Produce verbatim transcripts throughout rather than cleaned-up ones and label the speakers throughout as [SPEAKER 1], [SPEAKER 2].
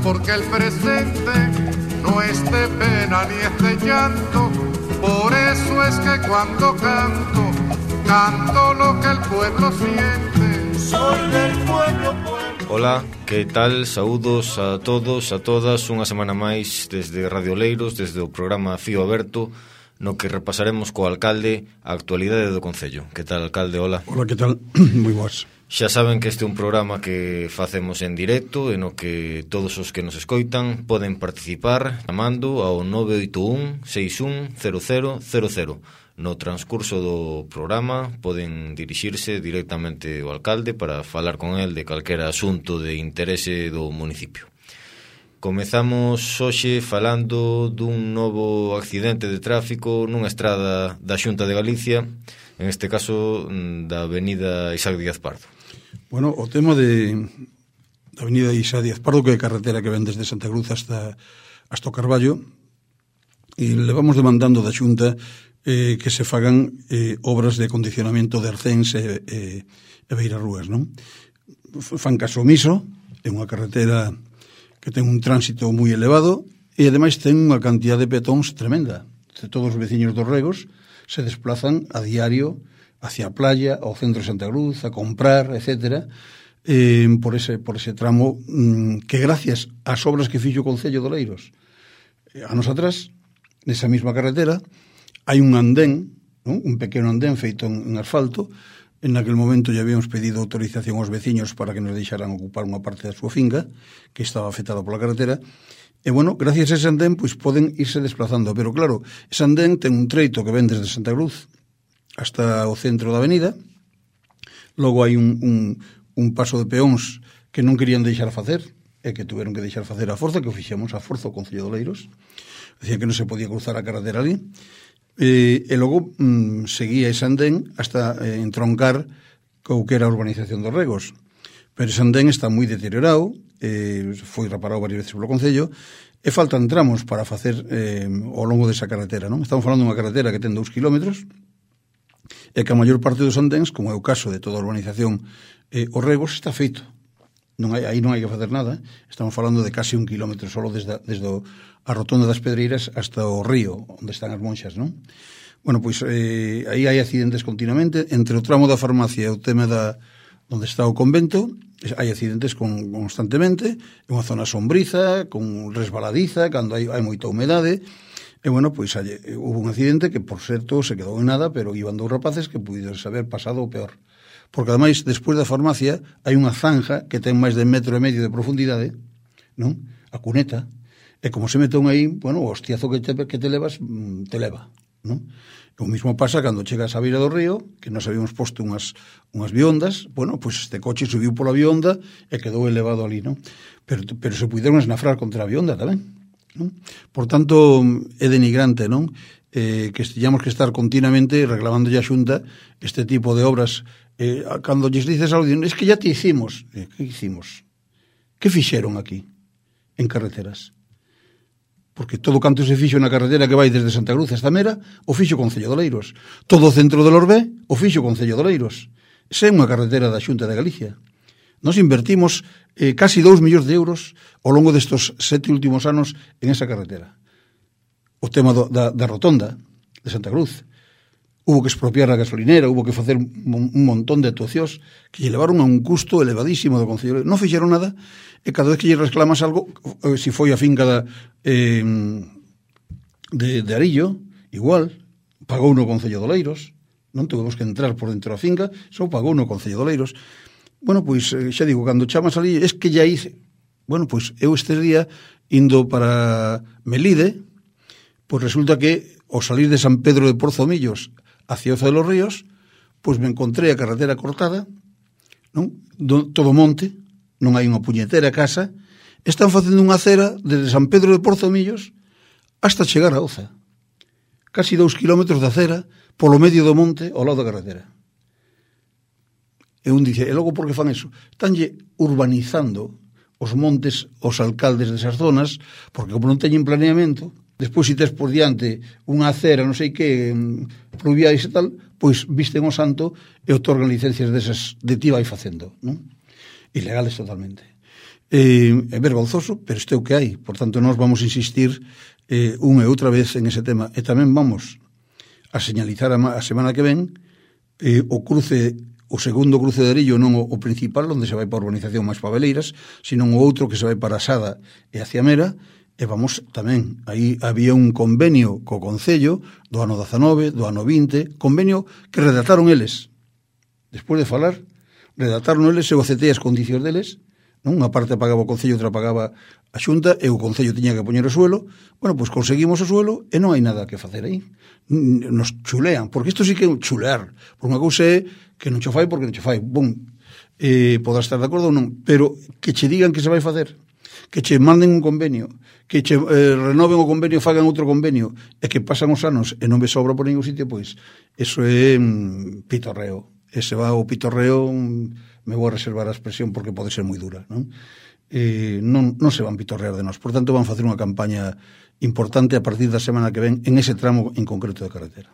[SPEAKER 1] porque el presente no es de pena ni es de llanto. Por eso es que cuando canto, canto lo que el pueblo siente. Soy del pueblo, pueblo.
[SPEAKER 2] Hola, que tal? Saúdos a todos, a todas. Unha semana máis desde Radio Oleiros, desde o programa Fío Aberto, no que repasaremos co alcalde a actualidade do Concello. Que tal, alcalde? Hola.
[SPEAKER 3] Hola, que tal? Moi boas.
[SPEAKER 2] Xa saben que este é un programa que facemos en directo e no que todos os que nos escoitan poden participar chamando ao nove oito un, seis un, cero cero cero cero. No transcurso do programa poden dirixirse directamente ao alcalde para falar con el de calquera asunto de interese do municipio. Comezamos hoxe falando dun novo accidente de tráfico nunha estrada da Xunta de Galicia, en este caso da avenida Isaac Díaz Pardo.
[SPEAKER 3] Bueno, o tema de da avenida Isaac Díaz Pardo, que é a carretera que ven desde Santa Cruz hasta, hasta o Carballo, e levamos demandando da Xunta eh, que se fagan eh, obras de acondicionamento de arcéns e, e, e beirarrúas, non? Fan caso omiso, é unha carretera que ten un tránsito moi elevado e ademais ten unha cantidad de peatóns tremenda. Todos os veciños dos Regos se desplazan a diario hacia a playa, ao centro de Santa Cruz, a comprar, etcétera, eh, por ese por ese tramo mmm, que gracias ás obras que fixo o Concello de Oleiros eh, a nosotras, nesa mesma carretera, hai un andén, ¿no? Un pequeno andén feito en, en asfalto. En aquel momento ya habíamos pedido autorización aos veciños para que nos deixaran ocupar unha parte da súa finca, que estaba afectada pola carretera. E, bueno, gracias a ese andén, pois poden irse desplazando. Pero, claro, ese andén ten un treito que ven desde Santa Cruz hasta o centro da avenida. Logo hai un, un, un paso de peóns que non querían deixar facer, e que tuveron que deixar facer a forza, que o fixemos a forza o Concello de Oleiros. Decían que non se podía cruzar a carretera ali. E, e logo mm, seguía ese andén hasta eh, entroncar co que era a urbanización dos Regos. Pero ese andén está moi deteriorado, eh, foi reparado varias veces polo Concello, e faltan tramos para facer eh, ao longo desa carretera, non? Estamos falando dunha carretera que ten dous kilómetros, e que a maior parte dos andéns, como é o caso de toda a urbanización eh, os Regos, está feito. Non hai, aí non hai que facer nada. Estamos falando de casi un kilómetro solo desde, desde a rotonda das Pedreiras hasta o río, onde están as monxas, non? Bueno, pois eh, aí hai accidentes continuamente. Entre o tramo da farmacia e o tema da onde está o convento, hai accidentes con, constantemente. É unha zona sombriza, con resbaladiza, cando hai, hai moita humedade. E, bueno, pois hai, hubo un accidente que, por certo, se quedou en nada, pero iban dous rapaces que puides haber pasado o peor. Porque, ademais, despois da farmacia, hai unha zanja que ten máis de metro e medio de profundidade, non? A cuneta. E como se metón aí, bueno, o hostiazo que te, que te levas, te leva, non? O mismo pasa cando chegas á beira do río, que nos habíamos posto unhas, unhas biondas, bueno, pois este coche subiu pola bionda e quedou elevado ali, non? Pero, pero se puderon esnafrar contra a bionda tamén, non? Por tanto, é denigrante, non? Eh, que teñamos que estar continuamente reclamando a Xunta este tipo de obras. Eh, cando lles dices algo, es que ya te hicimos. Eh, que hicimos? Que fixeron aquí, en carreteras? Porque todo canto se fixo na carretera que vai desde Santa Cruz hasta Mera, o fixo o Concello de Oleiros. Todo o centro de Lorbé, o fixo o Concello de Oleiros. Esa é unha carretera da Xunta de Galicia. Nos invertimos eh, casi dous millóns de euros ao longo destos sete últimos anos en esa carretera. O tema do, da, da rotonda de Santa Cruz. Hubo que expropiar a gasolinera, hubo que facer un, un montón de actuacións que lle levaron a un custo elevadísimo do Concello. Non fixeron nada, e cada vez que lle reclamas algo, eh, si foi a finca da, eh, de, de Arillo, igual, pagou no Concello de Oleiros, non tuvemos que entrar por dentro da finca, só pagou no Concello de Oleiros. Bueno, pois, eh, xa digo, cando chamas ali, es que ya hice. Bueno, pois, eu este día, indo para Melide, pois resulta que, ao salir de San Pedro de Porzomillos hacia Oza de los Ríos, pois me encontrei a carretera cortada, non? Do, todo monte, non hai unha puñetera casa, están facendo unha acera desde San Pedro de Porzomillos hasta chegar a Oza. Casi dous kilómetros de acera polo medio do monte ao lado da carretera. E un dice, e logo por que fan eso? Estánlle urbanizando os montes os alcaldes desas zonas, porque como non teñen planeamento, despois se tes por diante unha acera, non sei que, pluviais e tal, pois visten o santo e otorgan licencias desas de ti vai facendo, non? Ilegales totalmente. Eh, é vergonzoso, pero este é o que hai. Por tanto, nós vamos insistir eh, unha e outra vez en ese tema. E tamén vamos a señalizar a, a semana que ven eh, o cruce, o segundo cruce de Arillo, non o, o principal, onde se vai para a urbanización máis Pabeleiras, sino o outro que se vai para Sada e hacia Mera. E vamos tamén, aí había un convenio co Concello do ano dezanove, do ano vinte, convenio que redactaron eles. Despois de falar, redactaron eles, eu aceptei as condicións deles, non? Unha parte pagaba o Concello, outra pagaba a Xunta, e o Concello tiña que poñer o suelo. Bueno, pois conseguimos o suelo e non hai nada que facer aí. Nos chulean, porque isto sí que é chulear. Por unha cousa é que non cho fai porque non cho fai. Bom, eh, podrás estar de acordo ou non, pero que che digan que se vai facer, que che manden un convenio, que che eh, renoven o convenio e fagan outro convenio, e que pasan os anos e non ves obra por ningún sitio, pois eso é mm, pitorreo. Ese va o pitorreo, mm, me vou a reservar a expresión porque pode ser moi dura, non? Eh, non, non se van pitorrear de nós. Por tanto, van facer unha campaña importante a partir da semana que ven en ese tramo en concreto de carretera.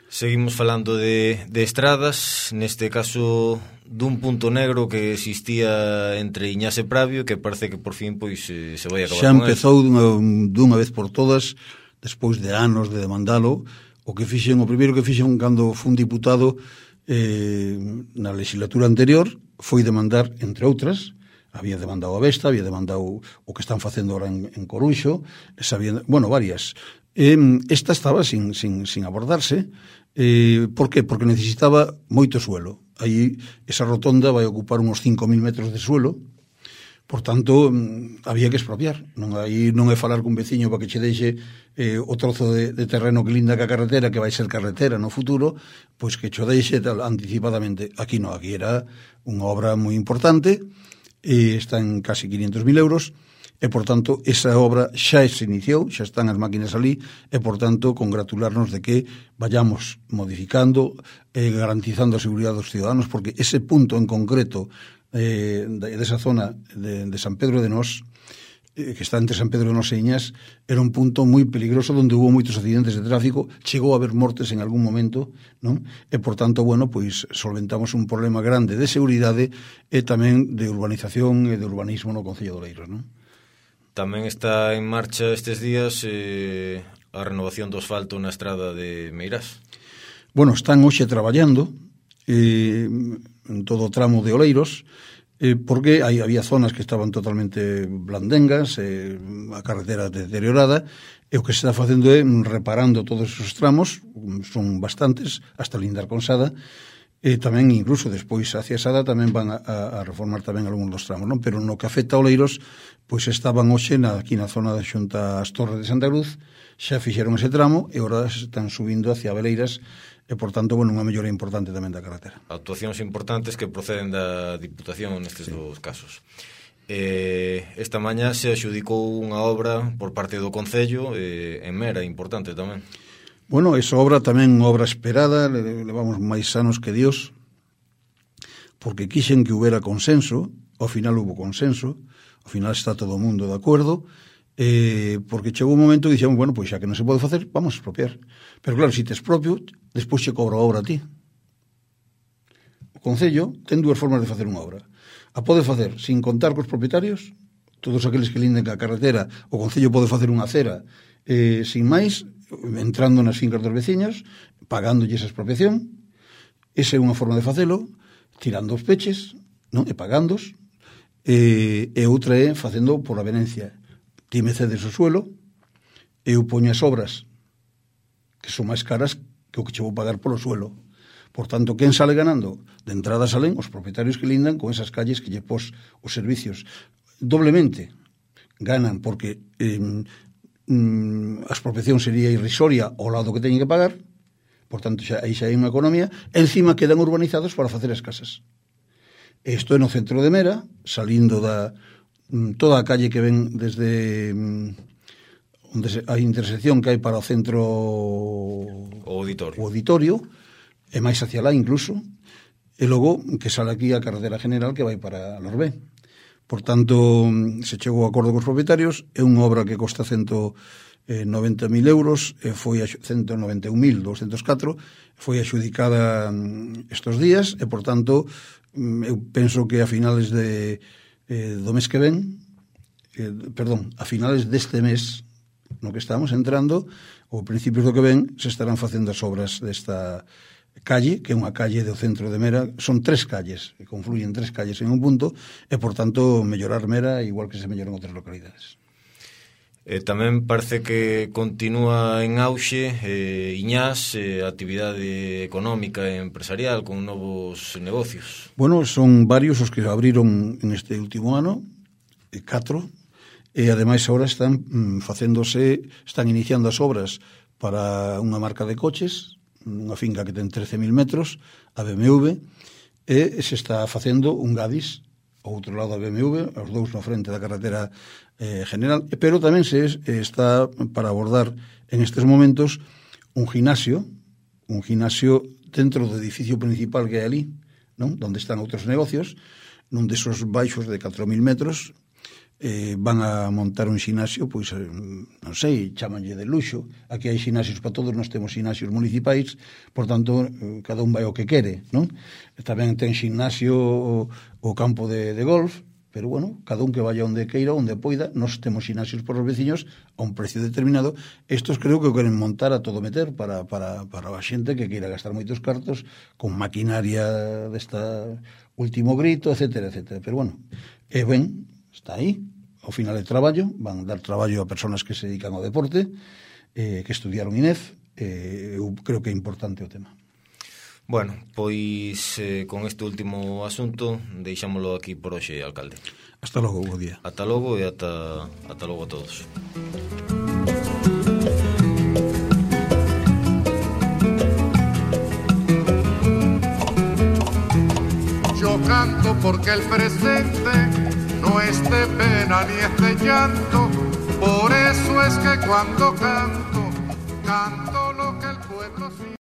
[SPEAKER 2] Seguimos falando de, de estradas, neste caso dun punto negro que existía entre Iñás e Pravio, que parece que por fin pois se vai acabar.
[SPEAKER 3] Xa empezou dunha, dunha vez por todas, despois de anos de demandalo. O que fixen, o primeiro que fixen cando fun diputado eh, na legislatura anterior foi demandar, entre outras, había demandado a Vesta, había demandado o que están facendo ahora en, en Coruxo, sabía, bueno, varias. Eh, esta estaba sin, sin, sin abordarse. Eh, por que? Porque necesitaba moito suelo. Aí esa rotonda vai ocupar uns cinco mil metros de suelo, por tanto, había que expropiar. Non, aí non é falar cun veciño para que che deixe eh, o trozo de, de terreno que linda ca carretera, que vai ser carretera no futuro, pois que cho deixe tal, anticipadamente. Aquí non, aquí era unha obra moi importante, e está en casi quinientos mil euros, e, por tanto, esa obra xa se iniciou, xa están as máquinas ali, e, por tanto, congratularnos de que vayamos modificando e eh, garantizando a seguridade dos ciudadanos, porque ese punto en concreto eh, de, de esa zona de, de San Pedro de Nós, eh, que está entre San Pedro de Nós e Iñás, era un punto moi peligroso onde hubo moitos accidentes de tráfico, chegou a haber mortes en algún momento, non? E, por tanto, bueno, pois solventamos un problema grande de seguridade e tamén de urbanización e de urbanismo no Concello de Oleiros, non?
[SPEAKER 2] Tamén está en marcha estes días eh, a renovación do asfalto na estrada de Meirás.
[SPEAKER 3] Bueno, están hoxe traballando eh, en todo o tramo de Oleiros, eh, porque hai, había zonas que estaban totalmente blandengas, eh, a carretera deteriorada, e o que se está facendo é reparando todos esos tramos, son bastantes, hasta lindar con Sada, e tamén incluso despois hacia Sada tamén van a, a reformar tamén algúns dos tramos, non? Pero no que afecta a Oleiros, pois estaban hoxe na, aquí na zona da xunta as Torres de Santa Cruz, xa fixeron ese tramo e agora están subindo hacia Beleiras, e, por tanto, bueno, unha mellora importante tamén da carretera.
[SPEAKER 2] Actuacións importantes que proceden da Diputación nestes sí. dos casos. Eh, esta mañá se adxudicou unha obra por parte do Concello eh, en Mera, importante tamén.
[SPEAKER 3] Bueno, esa obra tamén obra esperada, levamos máis anos que Dios, porque quixen que houbera consenso, ao final hubo consenso, ao final está todo o mundo de acordo, eh, porque chegou un momento e dixemos, bueno, pois xa que non se pode facer, vamos a expropiar. Pero claro, se te expropio, despois che cobra a obra a ti. O Concello ten dúas formas de facer unha obra. A pode facer sin contar cos propietarios, todos aqueles que linden ca carretera, o Concello pode facer unha acera eh, sin máis, entrando nas fincas dos veciños, pagándolle esa expropiación. Esa é unha forma de facelo, tirando os peches, non? E pagándos. E, e outra é facendo por avenencia. Ti me cedes o suelo, eu poño as obras que son máis caras que o que che vou pagar polo suelo. Por tanto, quen sale ganando? De entrada salen os propietarios que lindan con esas calles que lle pos os servicios. Doblemente ganan porque eh, mm, a expropiación sería irrisoria ao lado que teñen que pagar, por tanto, xa, aí xa hai unha economía, e encima quedan urbanizados para facer as casas. Isto é no centro de Mera, salindo da toda a calle que ven desde onde se, a intersección que hai para o centro
[SPEAKER 2] o auditorio,
[SPEAKER 3] o auditorio e máis hacia lá incluso, e logo que sale aquí a carretera general que vai para Lorbé. Por tanto, se chegou a acordo cos propietarios, é unha obra que costa ciento noventa mil euros, e foi a ciento noventa e un mil doscientos catro, foi axudicada estes días, e por tanto eu penso que a finales de eh, do mes que ven, eh, perdón, a finales deste mes no que estamos entrando, ou principios do que ven, se estarán facendo as obras desta calle, que é unha calle do centro de Mera. Son tres calles, que confluyen tres calles en un punto, e, por tanto, mellorar Mera igual que se mellora en outras localidades.
[SPEAKER 2] Eh, tamén parece que continúa en auxe eh, Iñás, eh, actividade económica e empresarial con novos negocios.
[SPEAKER 3] Bueno, son varios os que abriron en este último ano, eh, catro, e ademais agora están mm, facéndose, están iniciando as obras para unha marca de coches, unha finca que ten trece mil metros, a B M W, e se está facendo un Gadis, ao outro lado da B M W, os dous na frente da carretera eh, general, pero tamén se eh, está para abordar en estes momentos un gimnasio, un gimnasio dentro do edificio principal que hai ali, non? Donde están outros negocios, nun desos baixos de catro mil metros, eh, van a montar un xinasio, pois, eh, non sei, chamanlle de luxo. Aquí hai xinasios para todos, nós temos xinasios municipais, por tanto, eh, cada un vai ao que quere, non? Tamén ten xinasio o, o campo de, de golf, pero, bueno, cada un que vaya onde queira, onde poida. Nós temos xinasios por os veciños a un precio determinado. Estos creo que o queren montar a todo meter para, para, para a xente que queira gastar moitos cartos con maquinaria desta último grito, etcétera, etcétera. Pero, bueno, é ben, está aí, ao final de traballo, van dar traballo a persoas que se dedican ao deporte, eh, que estudiaron I N E F, eh, eu creo que é importante o tema.
[SPEAKER 2] Bueno, pois eh, con este último asunto deixámoslo aquí por hoxe, alcalde.
[SPEAKER 3] Hasta logo, bo día.
[SPEAKER 2] Ata logo e ata, ata logo a todos.
[SPEAKER 1] Yo canto porque el presente no es de pena ni es de llanto, por eso es que cuando canto, canto